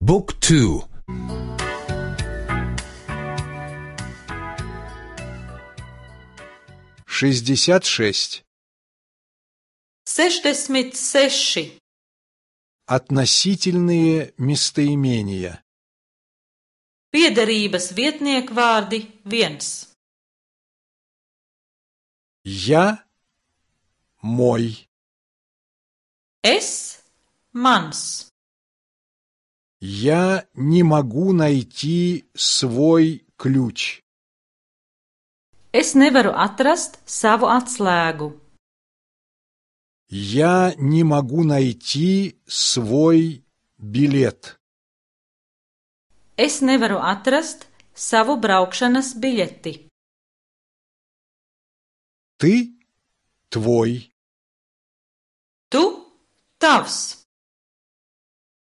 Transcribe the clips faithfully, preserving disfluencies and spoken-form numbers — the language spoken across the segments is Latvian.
بوك تو шестьдесят шесть. sešdesmit seši. Относительные местоимения. Piederības vietniekvārdi viens. Я, мой. Es, mans. Я не могу найти свой ключ. Es nevaru atrast savu atslēgu. Я не могу найти свой билет. Es nevaru atrast savu braukšanas biļeti. Ты, твой. Tu, tavs.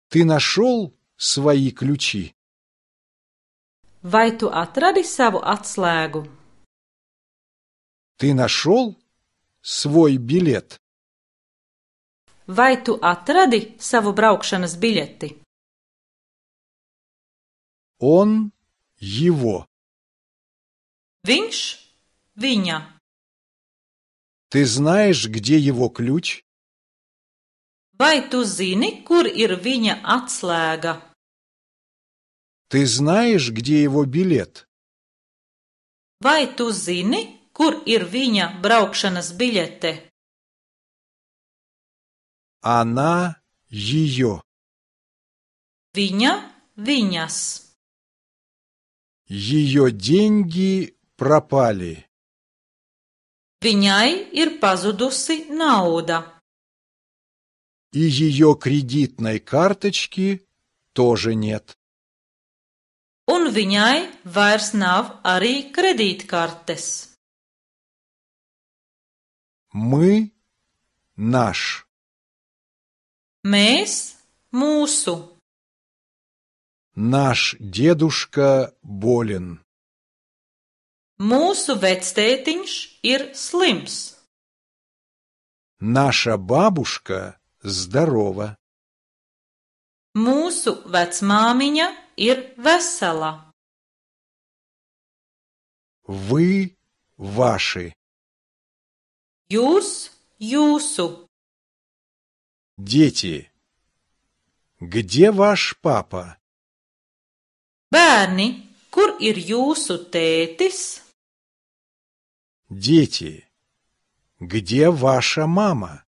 Ты нашел свои ключи? Vai tu atradi savu atslēgu? Ты нашел свой билет? Vai tu atradi savu braukšanas biļeti? Он, его. Viņš, viņa. Ты знаешь, где его ключ? Vai tu zini, kur ir viņa atslēga? Ты знаешь, где его билет? Vai tu zini, kur ir viņa braukšanas biļete? Она, ее. Viņa, viņas. Ее деньги пропали. Viņai ir pazudusi nauda. И ее кредитной карточки тоже нет. Un viņai vairs nav arī kredītkartes. Мы, наш. Mēs, mūsu. Наш дедушка болен. Mūsu vectētiņš ir slims. Наша бабушка здорова. Mūsu vecmāmiņa ir vesela. Вы, ваши. Jūs, jūsu. Дети. Где ваш папа? Bērni, kur ir jūsu tētis? Дети. Где ваша мама?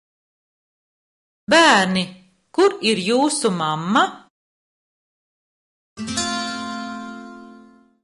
Bērni, kur ir jūsu mamma?